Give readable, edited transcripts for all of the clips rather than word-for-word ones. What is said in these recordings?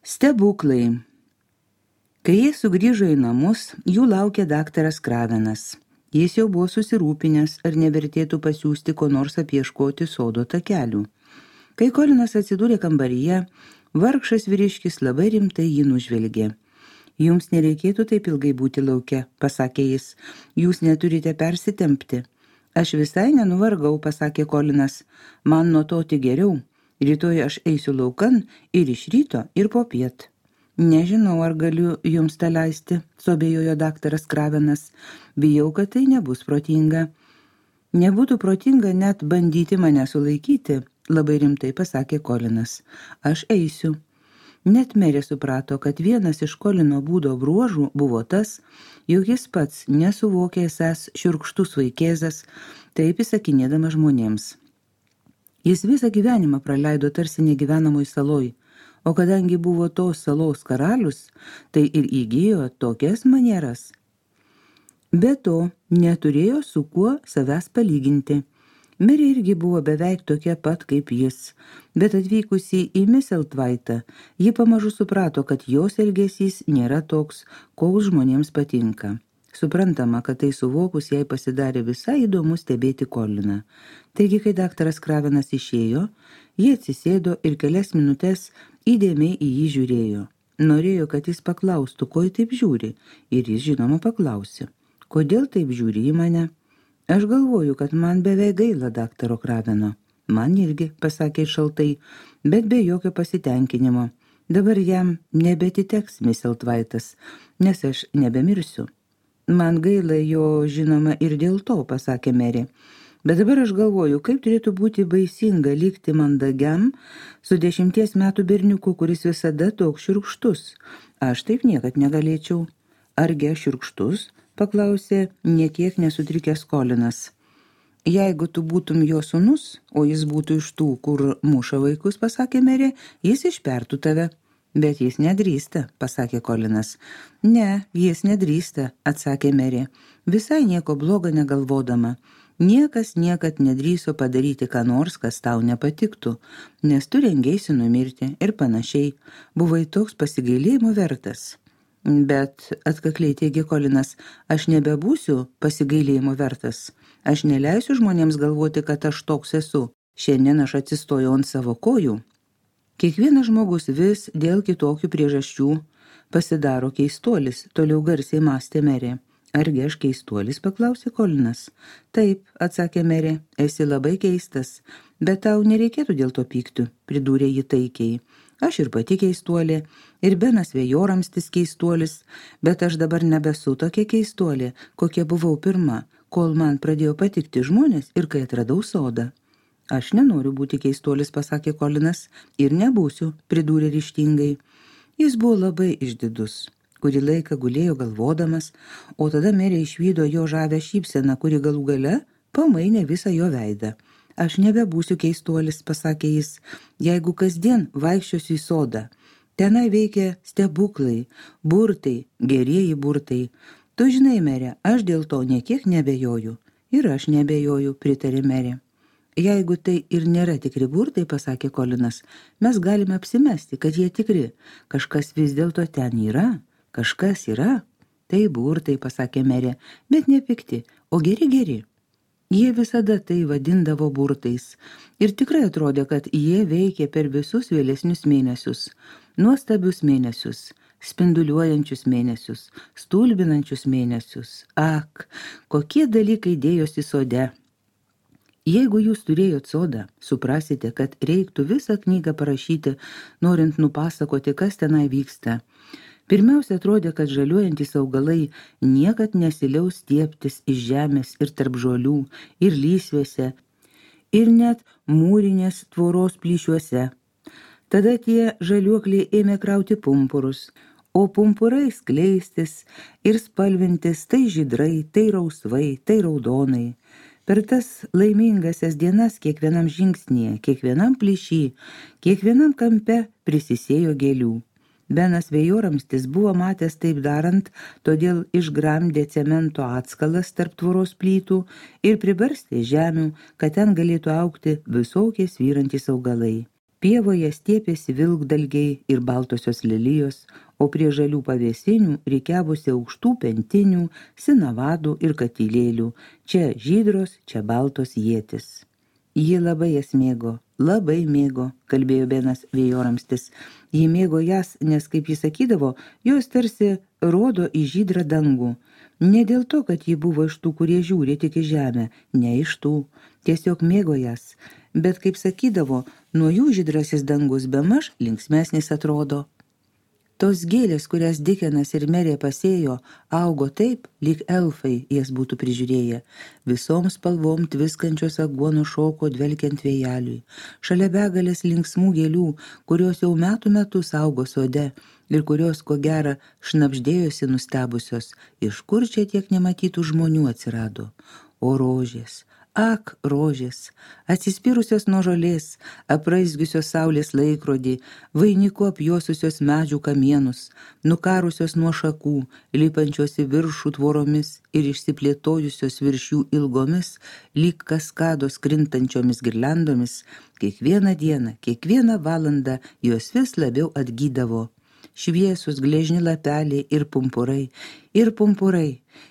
Stebuklai. Kai jie sugrįžo į namus, jų laukė daktaras Kravenas. Jis jau buvo susirūpinęs, ar nevertėtų pasiųsti ko nors apieškoti sodo takelių. Kai Kolinas atsidūrė kambaryje, vargšas vyriškis labai rimtai jį nužvelgė. Jums nereikėtų taip ilgai būti lauke, pasakė jis. Jūs neturite persitempti. Aš visai nenuvargau, pasakė Kolinas. Man nuo to tik geriau. Rytoj aš eisiu laukan ir iš ryto, ir popiet. Nežinau, ar galiu jums tą leisti, suabejojo daktaras Kravenas. Bijau, kad tai nebus protinga. Nebūtų protinga net bandyti mane sulaikyti, labai rimtai pasakė Kolinas. Aš eisiu. Net merė suprato, kad vienas iš Kolino būdo bruožų buvo tas, jog jis pats nesuvokė esąs šiurkštus vaikėzas, taip įsakinėdamas žmonėms. Jis visą gyvenimą praleido tarsi negyvenamoj saloj, o kadangi buvo tos salos karalius, tai ir įgijo tokias manieras. Be to, neturėjo su kuo savęs palyginti. Merė irgi buvo beveik tokia pat kaip jis, bet atvykusi į Misselthwaitą, ji pamažu suprato, kad jos elgesys nėra toks, koks žmonėms patinka. Suprantama, kad tai suvokus jai pasidarė visai įdomu stebėti Koliną. Taigi, kai daktaras Kravenas išėjo, ji atsisėdo ir kelias minutes įdėmiai į jį žiūrėjo. Norėjo, kad jis paklaustų, ko jį taip žiūri, ir jis žinoma paklausė. Kodėl taip žiūri į mane? Aš galvoju, kad man beveik gaila daktaro Kraveno. Man irgi, pasakė šaltai, bet be jokio pasitenkinimo. Dabar jam nebetiteks Misselthwaitas, nes aš nebemirsiu. Man gaila jo, žinoma, ir dėl to, pasakė merė. Bet dabar aš galvoju, kaip turėtų būti baisinga likti mandagiam su 10 metų berniuku, kuris visada toks šiurkštus. Aš taip niekad negalėčiau. Argi aš šiurkštus? Paklausė niekiek nesutrikęs Kolinas. Jeigu tu būtum jo sūnus, o jis būtų iš tų, kur muša vaikus, pasakė merė, jis išpertų tave. Bet jis nedrįsta, pasakė Kolinas. Ne, jis nedrįsta, atsakė merė, visai nieko blogo negalvodama. Niekas niekad nedrįso padaryti ką nors, kas tau nepatiktų, nes tu rengėsi numirti ir panašiai. Buvai toks pasigailėjimo vertas. Bet, atkakliai teigė Kolinas, aš nebebūsiu pasigailėjimo vertas. Aš neleisiu žmonėms galvoti, kad aš toks esu. Šiandien aš atsistojau ant savo kojų. Kiekvienas žmogus vis dėl kitokių priežasčių pasidaro keistuolis, toliau garsiai mąstė merė. Argi aš keistuolis, paklausė Kolinas. Taip, atsakė merė, esi labai keistas, bet tau nereikėtų dėl to pykti, pridūrė ji taikiai. Aš ir pati keistuolė, ir Benas Vėjoramstis keistuolis, bet aš dabar nebesu tokia keistuolė, kokia buvau pirma, kol man pradėjo patikti žmonės ir kai atradau sodą. Aš nenoriu būti keistuolis, pasakė Kolinas, ir nebūsiu, pridūrė ryžtingai. Jis buvo labai išdidus. Kurį laiką gulėjo galvodamas, o tada merė išvydo jo žavę šypseną, kuri galų gale pamainė visą jo veidą. Aš nebebūsiu keistuolis, pasakė jis, jeigu kasdien vaikščiosiu į sodą. Tenai veikia stebuklai, burtai, gerieji burtai. Tu žinai, merė, aš dėl to niekiek nebejoju. Ir aš nebejoju, pritarė merė. Jeigu tai ir nėra tikri burtai, pasakė Kolinas, mes galime apsimesti, kad jie tikri. Kažkas vis dėlto ten yra, kažkas yra. Tai burtai, pasakė merė, bet ne pikti, o geri. Jie visada tai vadindavo burtais. Ir tikrai atrodė, kad jie veikė per visus vėlesnius mėnesius. Nuostabius mėnesius, spinduliuojančius mėnesius, stulbinančius mėnesius. Ak, kokie dalykai dėjosi sode. Jeigu jūs turėjot sodą, suprasite, kad reiktų visą knygą parašyti, norint nupasakoti, kas tenai vyksta. Pirmiausia, atrodė, kad žaliuojantys augalai niekad nesiliaus stiebtis iš žemės ir tarp žolių, ir lysvėse, ir net mūrinės tvoros plyšiuose. Tada tie žaliuokliai ėmė krauti pumpurus, o pumpurai skleistis ir spalvintis tai žydrai, tai rausvai, tai raudonai. Per tas laimingasias dienas kiekvienam žingsnyje, kiekvienam plyšy, kiekvienam kampe prisisėjo gėlių. Benas Vėjoramstis buvo matęs taip darant, todėl išgramdė cemento atskalas tarp tvoros plytų ir pribarstė žemių, kad ten galėtų augti visokie svyrantys augalai. Pievoje stiepėsi vilkdalgiai ir baltosios lelijos, o prie žalių pavėsinių rikiavosi aukštų pentinių, sinavadų ir katilėlių, čia žydros, čia baltos ietis. Ji labai jas mėgo, kalbėjo Benas Vėjoramstis. Ji mėgo jas, nes, kaip jis sakydavo, jos tarsi rodo į žydrą dangų. Ne dėl to, kad ji buvo iš tų, kurie žiūri tik į žemę, ne iš tų, tiesiog mėgo jas. Bet, kaip sakydavo, nuo jų žydrasis dangus bemaž linksmesnis atrodo. Tos gėlės, kurias Dikenas ir Merė pasėjo, augo taip, lyg elfai jas būtų prižiūrėję. Visom spalvom tviskančios aguonų šoko dvelkiant vėjeliui. Šalia begalės linksmų gėlių, kurios jau metų metus augo sode ir kurios, ko gera, šnabždėjosi nustebusios, iš kur čia tiek nematytų žmonių atsirado. O rožės, ak, rožės, atsispyrusios nuo žolės, apraizgiusios saulės laikrodį, vainiku apjuosusios medžių kamienus, nukarusios nuo šakų, lipančios į viršų tvoromis ir išsiplėtojusios virš jų ilgomis, lyg kaskados krintančiomis girliandomis, kiekvieną dieną, kiekvieną valandą jos vis labiau atgydavo. Šviesus gležni lapeliai ir pumpurai,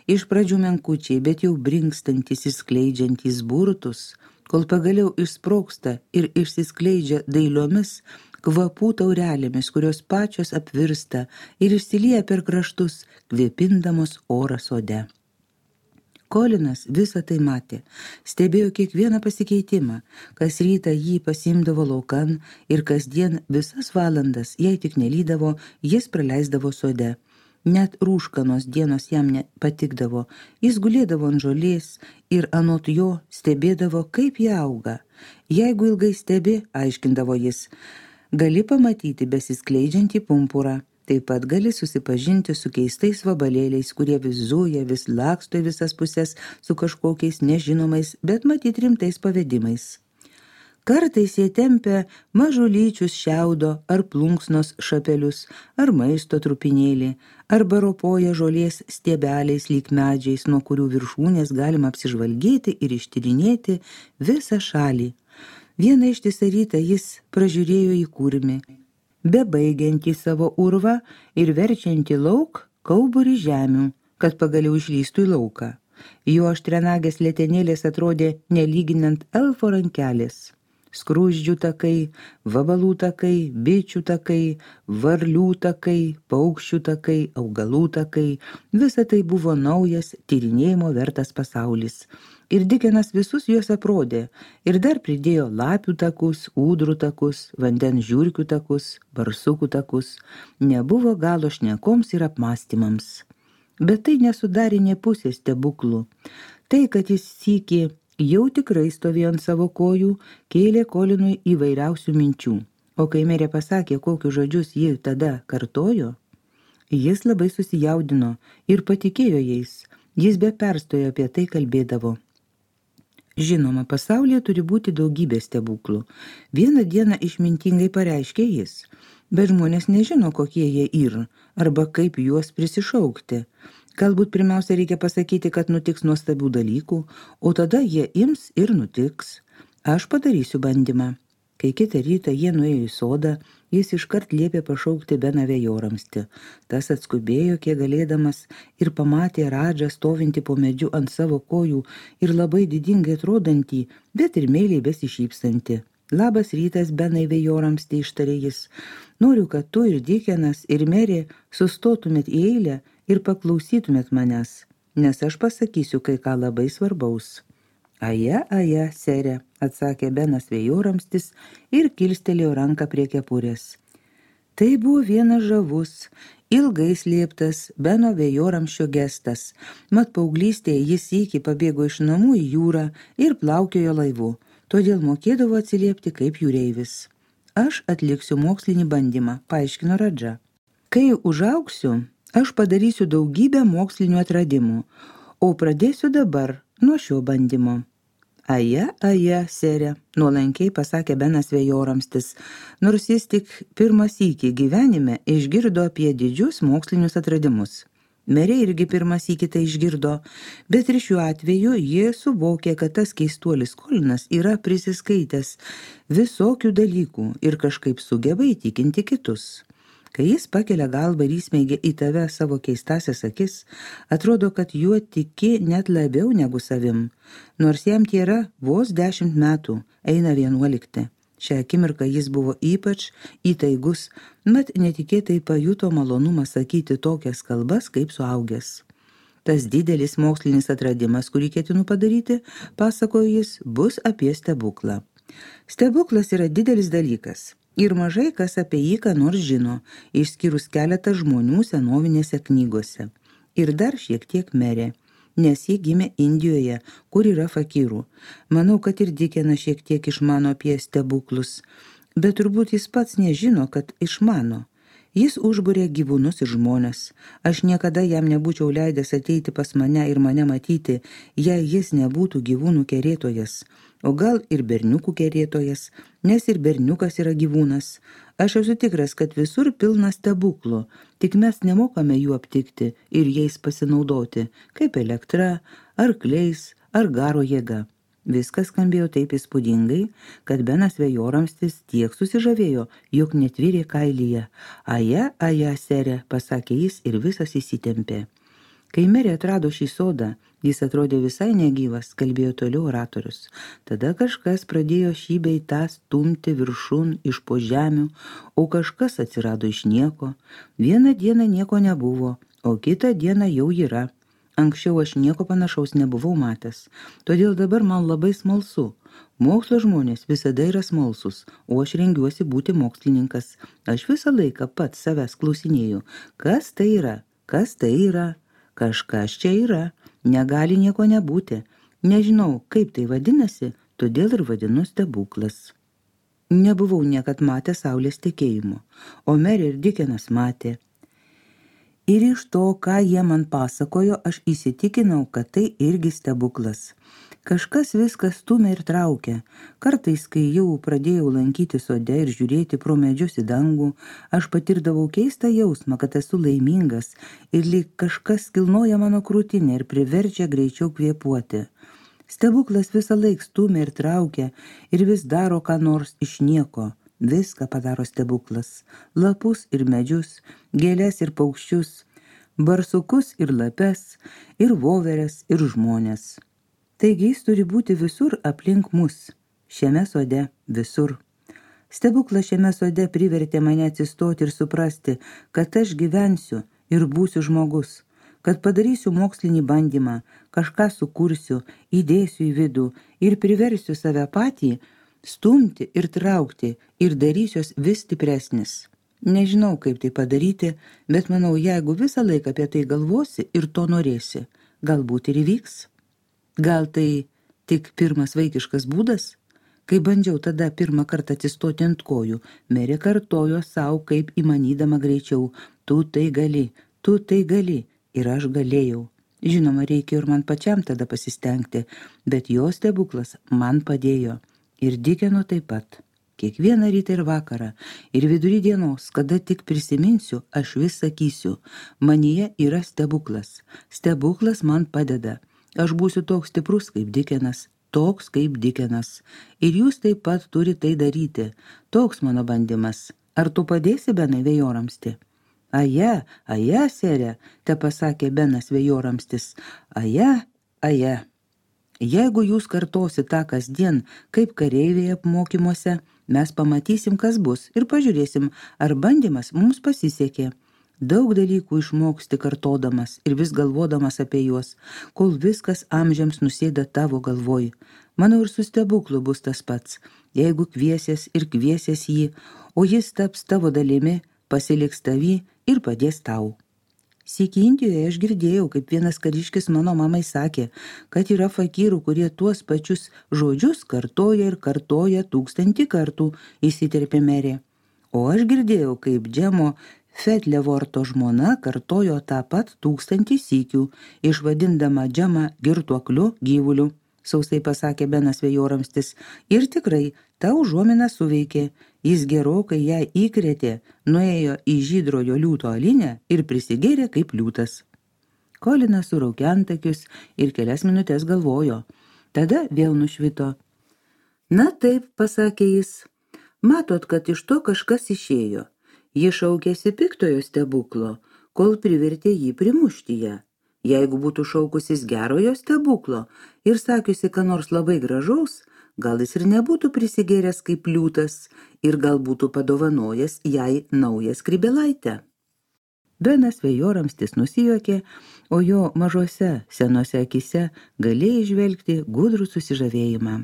iš pradžių menkučiai, bet jau brinkstantis išskleidžiantys burtus, kol pagaliau išsprogsta ir išsiskleidžia dailiomis kvapų taurelėmis, kurios pačios apvirsta ir išsilieja per kraštus, kvėpindamos orą sode. Kolinas visą tai matė, stebėjo kiekvieną pasikeitimą, kas rytą jį pasiimdavo laukan ir kasdien visas valandas, jei tik nelydavo, jis praleisdavo sode. Net rūškanos dienos jam nepatikdavo, jis gulėdavo ant žolės ir anot jo stebėdavo, kaip jie auga. Jeigu ilgai stebi, aiškindavo jis, gali pamatyti besiskleidžiantį pumpurą. Taip pat gali susipažinti su keistais vabalėliais, kurie vis zuja, vis laksto į visas pusės su kažkokiais nežinomais, bet matyt rimtais pavedimais. Kartais jie tempia mažulyčius šiaudo ar plunksnos šapelius, ar maisto trupinėlį, arba ropoja žolės stiebeliais lyg medžiais, nuo kurių viršūnės galima apsižvalgyti ir ištyrinėti visą šalį. Vieną ištisą rytą jis pražiūrėjo į kurmį, bebaigiantį savo urvą ir verčiantį lauk kauburį žemių, kad pagaliau išlįstų į lauką. Jo aštrenagės letenėlės atrodė nelyginant elfo rankelės. Skruzdžių takai, vabalų takai, bičių takai, varlių takai, paukščių takai, augalų takai, visa tai buvo naujas, tyrinėjimo vertas pasaulis. Ir Dikenas visus juos aprodė ir dar pridėjo lapių takus, ūdrų takus, vandens žiurkių takus, barsukų takus. Nebuvo galo šnekoms ir apmąstymams. Bet tai nesudarė nė pusės stebuklų. Tai, kad jis sykį jau tikrai stovėjo ant savo kojų, kėlė Kolinui įvairiausių minčių. O kai Merė pasakė, kokius žodžius ji tada kartojo, jis labai susijaudino ir patikėjo jais. Jis be perstojo apie tai kalbėdavo. Žinoma, pasaulyje turi būti daugybė stebuklų. Vieną dieną išmintingai pareiškė jis, bet žmonės nežino, kokie jie yra, arba kaip juos prisišaukti. Galbūt pirmiausia reikia pasakyti, kad nutiks nuostabių dalykų, o tada jie ims ir nutiks. Aš padarysiu bandymą. Kai kitą rytą jie nuėjo į sodą, jis iškart liepė pašaukti Beną Vėjoramstį. Tas atskubėjo, kiek galėdamas, ir pamatė Radžą stovintį po medžiu ant savo kojų ir labai didingai atrodantį, bet ir meiliai besišypsantį. Labas rytas, Benai Vėjoramstį, ištarė jis. Noriu, kad tu ir Dikenas ir Merė sustotumėt į eilę ir paklausytumėt manęs, nes aš pasakysiu kai ką labai svarbaus. Aja, sere, atsakė Benas Vėjoramstis ir kilstelėjo ranką prie kepurės. Tai buvo vienas žavus, ilgai slėptas Beno Vėjoramsčio gestas. Mat paauglystėje jis sykį pabėgo iš namų į jūrą ir plaukiojo laivu, todėl mokėdavo atsiliepti kaip jūreivis. Aš atliksiu mokslinį bandymą, paaiškino Radža. Kai užaugsiu, aš padarysiu daugybę mokslinių atradimų, o pradėsiu dabar nuo šio bandymo. Aja, sere, nuolankiai pasakė Benas Vėjoramstis, nors jis tik pirmą sykį gyvenime išgirdo apie didžius mokslinius atradimus. Merė irgi pirmas į kitą išgirdo, bet ir šiuo atveju jie suvokė, kad tas keistuolis Kolinas yra prisiskaitęs visokių dalykų ir kažkaip sugeba įtikinti kitus. Kai jis pakelia galvą ir įsmeigia į tave savo keistasias akis, atrodo, kad juo tiki net labiau negu savim, nors jam tėra vos 10 metų, eina 11. Šią akimirką jis buvo ypač įtaigus, mat netikėtai pajuto malonumą sakyti tokias kalbas kaip suaugęs. Tas didelis mokslinis atradimas, kurį ketinu padaryti, pasakojo jis, bus apie stebuklą. Stebuklas yra didelis dalykas ir mažai kas apie jį ką nors žino, išskyrus keletą žmonių senovinėse knygose. Ir dar šiek tiek Merė, nes ji gimė Indijoje, kur yra fakyrų. Manau, kad ir Dikenas šiek tiek išmano apie stebuklus, bet turbūt jis pats nežino, kad išmano. Jis užbūrė gyvūnus ir žmones. Aš niekada jam nebūčiau leidęs ateiti pas mane ir mane matyti, jei jis nebūtų gyvūnų kerėtojas, o gal ir berniukų kerėtojas, nes ir berniukas yra gyvūnas. Aš esu tikras, kad visur pilna stebuklų, tik mes nemokame jų aptikti ir jais pasinaudoti, kaip elektra, arkliais ar garo jėga. Viskas skambėjo taip įspūdingai, kad Benas Vėjoramstis tiek susižavėjo, jog netvyrė kailyje. Aja, sere, pasakė jis ir visas įsitempė. Kai Merė atrado šį sodą, jis atrodė visai negyvas, kalbėjo toliau oratorius. Tada kažkas pradėjo šį bei tą stumti viršun iš po žemių, o kažkas atsirado iš nieko. Vieną dieną nieko nebuvo, o kitą dieną jau yra. Anksčiau aš nieko panašaus nebuvau matęs, todėl dabar man labai smalsu. Mokslo žmonės visada yra smalsus, o aš rengiuosi būti mokslininkas. Aš visą laiką pats savęs klausinėju, kas tai yra, kas tai yra, kažkas čia yra, negali nieko nebūti. Nežinau, kaip tai vadinasi, todėl ir vadinu stebuklas. Nebuvau niekad matęs saulės tekėjimo, o Merė ir Dikenas matė. Ir iš to, ką jie man pasakojo, aš įsitikinau, kad tai irgi stebuklas. Kažkas viską stumia ir traukia. Kartais, kai jau pradėjau lankyti sode ir žiūrėti pro medžius į dangų, aš patirdavau keistą jausmą, kad esu laimingas ir lyg kažkas kilnoja mano krūtinę ir priverčia greičiau kvėpuoti. Stebuklas visą laik stumia ir traukia ir vis daro ką nors iš nieko. Viską padaro stebuklas. Lapus ir medžius, gėles ir paukščius, barsukus ir lapes, ir voveres ir žmones. Taigi jis turi būti visur aplink mus, šiame sode, visur. Stebuklas šiame sode privertė mane atsistoti ir suprasti, kad aš gyvensiu ir būsiu žmogus, kad padarysiu mokslinį bandymą, kažką sukursiu, įdėsiu į vidų ir priversiu save patį stumti ir traukti ir darysiuos vis stipresnis. Nežinau, kaip tai padaryti, bet manau, jeigu visą laiką apie tai galvosi ir to norėsi, galbūt ir įvyks. Gal tai tik pirmas vaikiškas būdas? Kai bandžiau tada pirmą kartą atsistoti ant kojų, Merė kartojo savo kaip įmanydama greičiau, tu tai gali, ir aš galėjau. Žinoma, reikėjo ir man pačiam tada pasistengti, bet jo stebuklas man padėjo. Ir Dikeno taip pat. Kiekvieną rytą ir vakarą, ir vidury dienos, kada tik prisiminsiu, aš vis sakysiu, manyje yra stebuklas. Stebuklas man padeda. Aš būsiu toks stiprus kaip Dikenas, toks kaip Dikenas. Ir jūs taip pat turi tai daryti. Toks mano bandymas. Ar tu padėsi Benai Vėjoramsti? Aja, sere, te pasakė Benas Vėjoramstis. Aja. Jeigu jūs kartosi tą kasdien, kaip kareiviai apmokymuose, mes pamatysim, kas bus ir pažiūrėsim, ar bandymas mums pasisekė. Daug dalykų išmoksti kartodamas ir vis galvodamas apie juos, kol viskas amžiams nusėda tavo galvoj. Manau, ir su stebuklu bus tas pats. Jeigu kviesies jį, o jis taps tavo dalimi, pasiliks tavį ir padės tau. Sykį Indijoje aš girdėjau, kaip vienas kariškis mano mamai sakė, kad yra fakyrų, kurie tuos pačius žodžius kartoja 1000 kartų, įsiterpė Merė. O aš girdėjau, kaip Džemo Fetlevorto žmona kartojo tą pat 1000 sykių, išvadindama Džemą girtuokliu gyvuliu, sausai pasakė Benas Vėjoramstis, ir tikrai ta užuomina suveikė. Jis gerokai ją įkrėtė, nuėjo į žydrojo liūto alinę ir prisigėrė kaip liūtas. Kolinas suraukė antakius ir kelias minutės galvojo. Tada vėl nušvito. Na taip, pasakė jis, matot, kad iš to kažkas išėjo. Ji šaukėsi piktojo stebuklo, kol privertė jį primušti ją. Jeigu būtų šaukusis gerojo stebuklo ir sakiusi, ką nors labai gražaus, gal jis ir nebūtų prisigėręs kaip liūtas ir gal būtų padovanojęs jai naują skrybėlaitę. Benas Vėjoramstis nusijuokė, o jo mažose senose akise galėjai žvelgti gudrų susižavėjimą.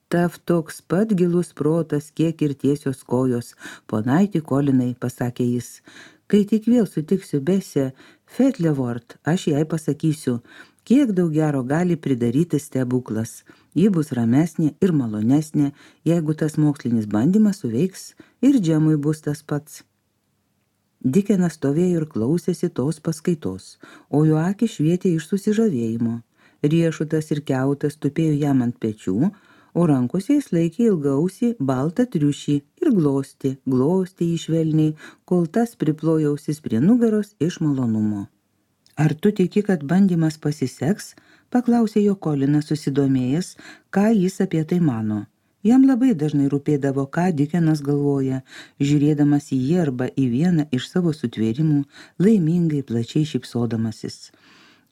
Tav toks pat gilus protas, kiek ir tiesios kojos, ponaitį Kolinai, pasakė jis. Kai tik vėl sutiksiu Besę Fetlevort, aš jai pasakysiu, kiek daug gero gali pridaryti stebuklas. Ji bus ramesnė ir malonesnė, jeigu tas mokslinis bandymas suveiks ir Džemui bus tas pats. Dikenas stovėjo ir klausėsi tos paskaitos, o jo akis švietė iš susižavėjimo. Riešutas ir kiautas tupėjo jam ant pečių, o rankose jis laikė ilgausį baltą triušį ir glostė jį švelniai, kol tas priplojo ausis prie nugaros iš malonumo. Ar tu tiki, kad bandymas pasiseks? Paklausė jo Kolinas susidomėjęs, ką jis apie tai mano. Jam labai dažnai rūpėdavo, ką Dikenas galvoja, žiūrėdamas į jį arba į vieną iš savo sutvėrimų, laimingai plačiai šypsodamasis.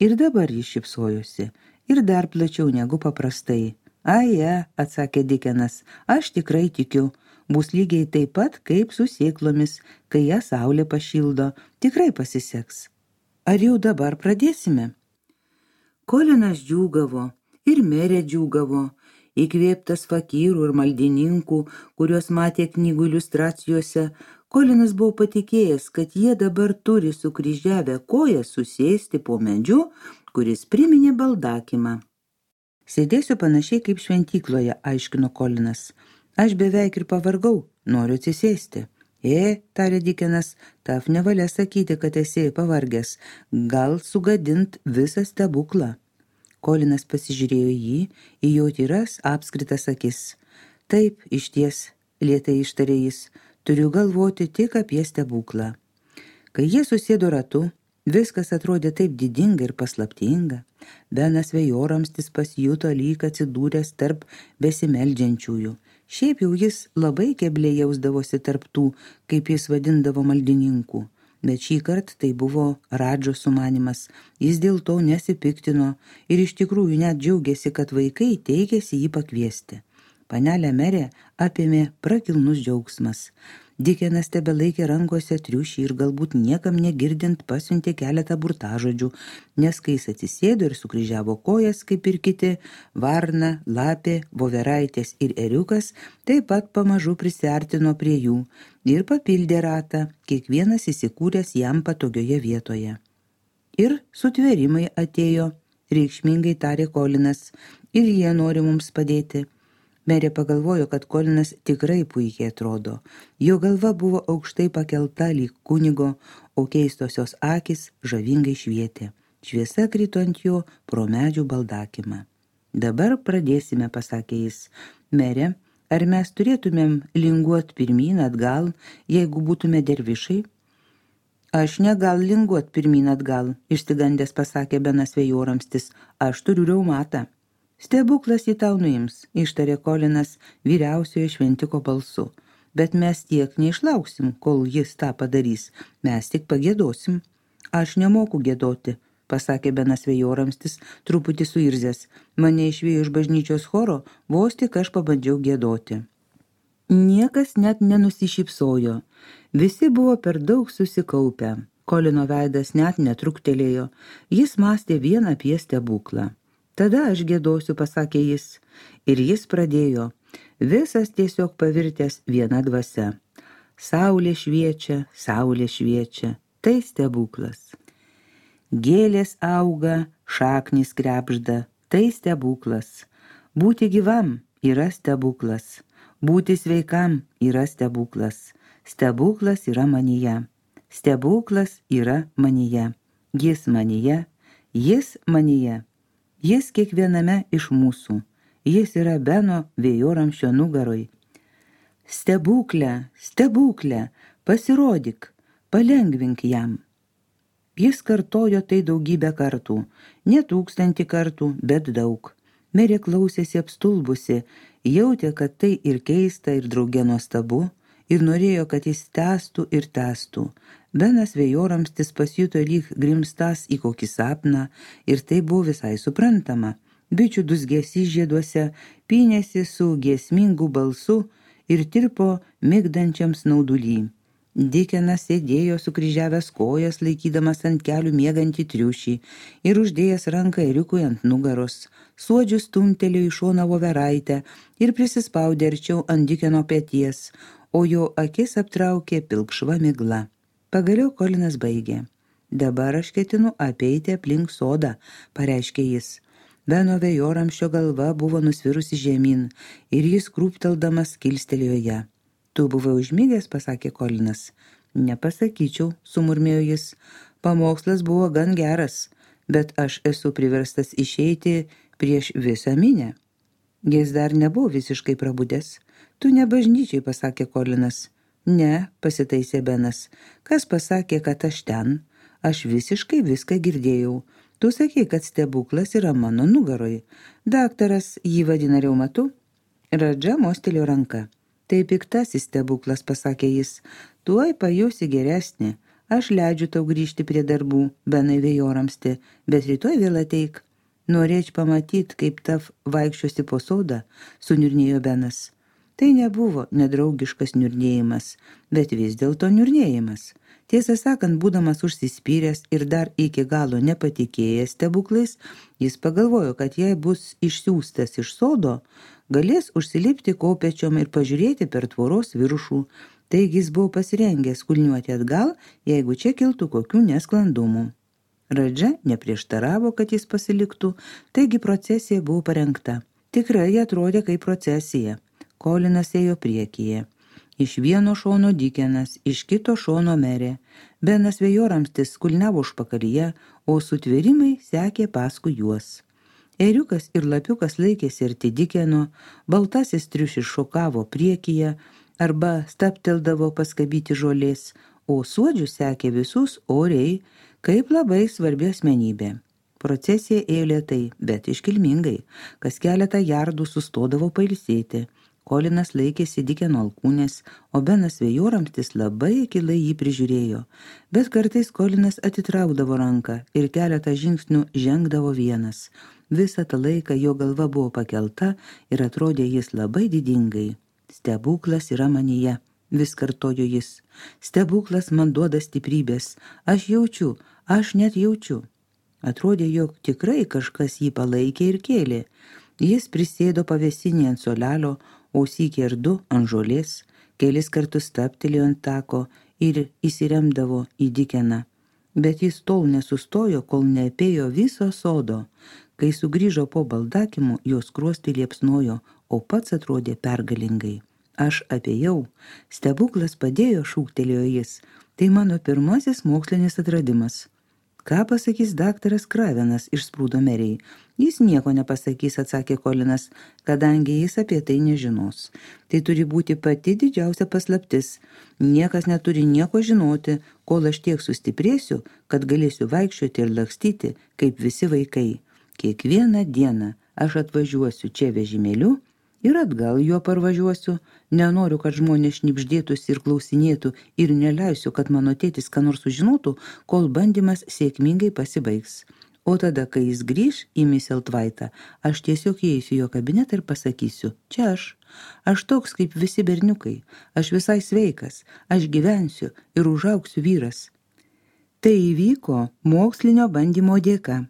Ir dabar jis šypsojosi, ir dar plačiau negu paprastai. Aje, atsakė Dikenas, aš tikrai tikiu, bus lygiai taip pat kaip su sėklomis, kai ją saulė pašildo, tikrai pasiseks. Ar jau dabar pradėsime? Kolinas džiūgavo ir merė džiūgavo, įkvėptas fakyrų ir maldininkų, kuriuos matė knygų iliustracijose. Kolinas buvo patikėjęs, kad jie dabar turi sukryžiavę koją susėsti po medžiu, kuris priminė baldakimą. Sėdėsiu panašiai kaip šventykloje, aiškino Kolinas. Aš beveik ir pavargau, noriu atsisėsti. Tarė Dikenas, taf nevalia sakyti, kad esi pavargęs, gal sugadint visą stebuklą. Kolinas pasižiūrėjo jį, į jo tyras apskritas akis. Taip, išties, lėtai ištarė jis, turiu galvoti tik apie stebuklą. Kai jie susėdo ratu, viskas atrodė taip didinga ir paslaptinga. Benas Vėjoramstis pasijuto lyg atsidūręs tarp besimeldžiančiųjų. Šiaip jau jis labai kebliai jausdavosi tarp tų, kaip jis vadindavo maldininkų. Bet šį kartą tai buvo Radžo sumanymas. Jis dėl to nesipiktino ir iš tikrųjų net džiaugiasi, kad vaikai teikėsi jį pakviesti. Panelę merę apėmė prakilnus džiaugsmas. Dikenas tebelaikė rankose triušį ir galbūt niekam negirdint pasiuntė keletą burtažodžių, nes kai jis atsisėdo ir sukryžiavo kojas, kaip ir kiti, varna, lapė, voveraitės ir ėriukas taip pat pamažu prisiartino prie jų ir papildė ratą, kiekvienas įsikūręs jam patogioje vietoje. Ir sutvėrimai atėjo, reikšmingai tarė Kolinas, ir jie nori mums padėti. Merė pagalvojo, kad Kolinas tikrai puikiai atrodo. Jo galva buvo aukštai pakelta lyg kunigo, o keistosios akys žavingai švietė. Šviesa krito ant jo pro medžių baldakimą. Dabar pradėsime, pasakė jis. Merė, ar mes turėtumėm linguot pirmyn atgal, jeigu būtume dervišai? Aš negal linguot pirmyn atgal, išsigandęs pasakė Benas Vėjoramstis. Aš turiu reumatą. Stebuklas jį tau nuims, ištarė Kolinas vyriausiojo šventiko balsu. Bet mes tiek neišlauksim, kol jis tą padarys. Mes tik pagiedosim. Aš nemoku giedoti, pasakė Benas Vėjoramstis, truputį suirzęs. Mane išvijo iš bažnyčios choro, vos tik aš pabandžiau giedoti. Niekas net nenusišypsojo. Visi buvo per daug susikaupę. Kolino veidas net netruktelėjo. Jis mąstė vien apie stebuklą. Tada aš giedosiu, pasakė jis, ir jis pradėjo, visas tiesiog pavirtęs viena dvasia. Saulė šviečia, tai stebuklas. Gėlės auga, šaknys krebžda, tai stebuklas. Būti gyvam yra stebuklas, būti sveikam yra stebuklas. Stebuklas yra manyje, stebuklas yra manyje, jis manyje. Jis kiekviename iš mūsų. Jis yra Beno Vėjoramsčio nugaroj. Stebuklę, pasirodyk, palengvink jam. Jis kartojo tai daugybę kartų, ne 1000 kartų, bet daug. Merė klausėsi apstulbusi, jautė, kad tai ir keista, ir drauge nuostabu, ir norėjo, kad jis tęstų ir tęstų. Benas vėjoramstis pasijuto lyg grimstas į kokį sapną, ir tai buvo visai suprantama. Bičių dusgesys žieduose pynėsi su giesmingu balsu ir tirpo migdančiam snauduly. Dikenas sėdėjo sukryžiavęs kojas, laikydamas ant kelių miegantį triušį ir uždėjęs ranką ėriukui ant nugaros. Suodžius stumtelėjo į šoną voveraitę ir prisispaudė arčiau ant Dikeno peties, o jo akis aptraukė pilkšva migla. Pagaliau Kolinas baigė. Dabar aš ketinu apeiti aplink sodą, pareiškė jis. Beno vėjoramsčio galva buvo nusvirusi žemyn ir jis krūpteldamas kilstelėjo ją. Tu buvai užmygęs, pasakė Kolinas. Nepasakyčiau, sumurmėjo jis. Pamokslas buvo gan geras, bet aš esu priverstas išeiti prieš visą minę. Jis dar nebuvo visiškai prabudęs. Tu ne bažnyčiai, pasakė Kolinas. Ne, pasitaisė Benas. Kas pasakė, kad aš ten? Aš visiškai viską girdėjau. Tu sakei, kad stebuklas yra mano nugaroj. Daktaras jį vadina reumatu? Radža mostelėjo ranką. Tai piktasis stebuklas, pasakė jis. Tuoj pajusi geresnį. Aš leidžiu tau grįžti prie darbų, Benai vėjoramsti, bet rytoj vėl ateik. Norėčiau pamatyti, kaip tav vaikščiosi po sodą, suniurnėjo Benas. Tai nebuvo nedraugiškas niurnėjimas, bet vis dėlto niurnėjimas. Tiesą sakant, būdamas užsispyręs ir dar iki galo nepatikėjęs stebuklais, jis pagalvojo, kad jei bus išsiųstas iš sodo, galės užsilipti kopečiom ir pažiūrėti per tvoros viršų. Taigi jis buvo pasirengęs kulniuoti atgal, jeigu čia kiltų kokių nesklandumų. Radža neprieštaravo, kad jis pasiliktų, taigi procesija buvo parengta. Tikrai atrodė kaip procesija. Kolinas ėjo priekyje. Iš vieno šono Dikenas, iš kito šono Merė. Benas vėjoramstis kulniavo užpakalyje, o sutvėrimai sekė paskui juos. Ėriukas ir lapiukas laikėsi arti Dikeno, baltasis triušis šokavo priekyje arba stapteldavo paskabyti žolės, o suodžius sekė visus oriai, kaip labai svarbi asmenybė. Procesija ėjo lėtai, bet iškilmingai, kas keletą jardų sustodavo pailsėti. Kolinas laikėsi Dikeno alkūnės, o Benas vėjoramstis labai akylai jį prižiūrėjo, bet kartais Kolinas atitraukdavo ranką ir keletą žingsnių žengdavo vienas. Visą tą laiką jo galva buvo pakelta ir atrodė jis labai didingai. Stebuklas yra manyje, vis kartojo jis. Stebuklas man duoda stiprybės. Aš jaučiu, aš net jaučiu. Atrodė, jog tikrai kažkas jį palaikė ir kėlė. Jis prisėdo pavėsinį ant solelio, o sykį ir du ant žolės, kelis kartus staptelėjo ant tako ir įsiremdavo į Dikeną. Bet jis tol nesustojo, kol neapėjo viso sodo. Kai sugrįžo po baldakimų, jos skruostai liepsnojo, o pats atrodė pergalingai. Aš apėjau. Stebuklas padėjo, šūktelėjo jis. Tai mano pirmasis mokslinis atradimas. Ką pasakys daktaras Kravenas, išsprūdo Merei. Jis nieko nepasakys, atsakė Kolinas, kadangi jis apie tai nežinos. Tai turi būti pati didžiausia paslaptis. Niekas neturi nieko žinoti, kol aš tiek sustiprėsiu, kad galėsiu vaikščioti ir lakstyti, kaip visi vaikai. Kiekvieną dieną aš atvažiuosiu čia vežimėliu ir atgal juo parvažiuosiu. Nenoriu, kad žmonės šnibždėtųsi ir klausinėtų ir neleisiu, kad mano tėtis ką nors sužinotų, kol bandymas sėkmingai pasibaigs. O tada, kai jis grįš į Misseltvaitą, aš tiesiog įeisiu jo kabinetą ir pasakysiu, čia aš toks kaip visi berniukai, aš visai sveikas, aš gyvensiu ir užaugsiu vyras. Tai įvyko mokslinio bandymo dėka.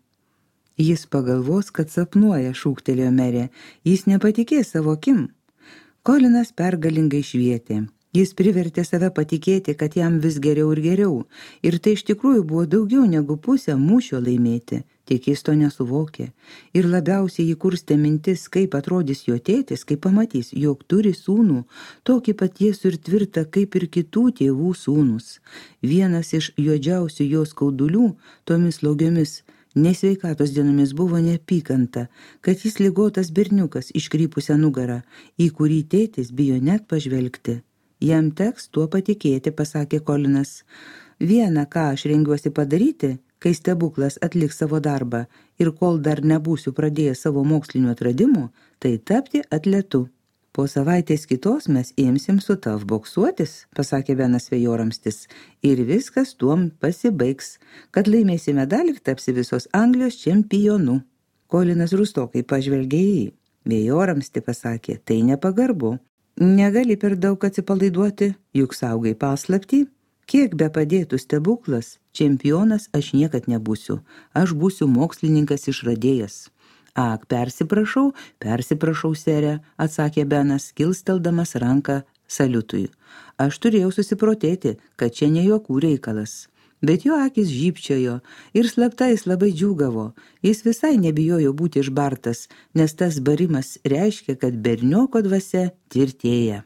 Jis pagalvos, kad sapnuoja, šūktelėjo Merė, jis nepatikės savo akim. Kolinas pergalingai švietė. Jis privertė save patikėti, kad jam vis geriau ir geriau. Ir tai iš tikrųjų buvo daugiau negu pusę mūšio laimėti. Tik jis to nesuvokė. Ir labiausiai jį kurstė mintis, kaip atrodys jo tėtis, kai pamatys, jog turi sūnų, tokį pat tiesų ir tvirtą, kaip ir kitų tėvų sūnus. Vienas iš juodžiausių jo skaudulių tomis slaugiomis nesveikatos dienomis buvo neapykanta, kad jis ligotas berniukas iškrypusią nugarą, į kurį tėtis bijo net pažvelgti. Jam teks tuo patikėti, pasakė Kolinas. Viena, ką aš rengiuosi padaryti, kai stebuklas atliks savo darbą ir kol dar nebūsiu pradėjęs savo mokslinių atradimų, tai tapti atletu. Po savaitės kitos mes imsim su tav boksuotis, pasakė Benas Vėjoramstis, ir viskas tuom pasibaigs, kad laimėsi medalį ir tapsi visos Anglijos čempionu. Kolinas rūstokai pažvelgė į jį. Vėjoramsti pasakė, tai nepagarbu. Negali per daug atsipalaiduoti, juk saugai paslaptį. Kiek be padėtų stebuklas, čempionas aš niekad nebūsiu. Aš būsiu mokslininkas išradėjas. Ak, persiprašau, sere, atsakė Benas, kilsteldamas ranką saliutui. Aš turėjau susiprotėti, kad čia ne juokų reikalas. Bet jo akis žybčiojo ir slapta jis labai džiūgavo. Jis visai nebijojo būti išbartas, nes tas barimas reiškia, kad bernioko dvasia tvirtėja.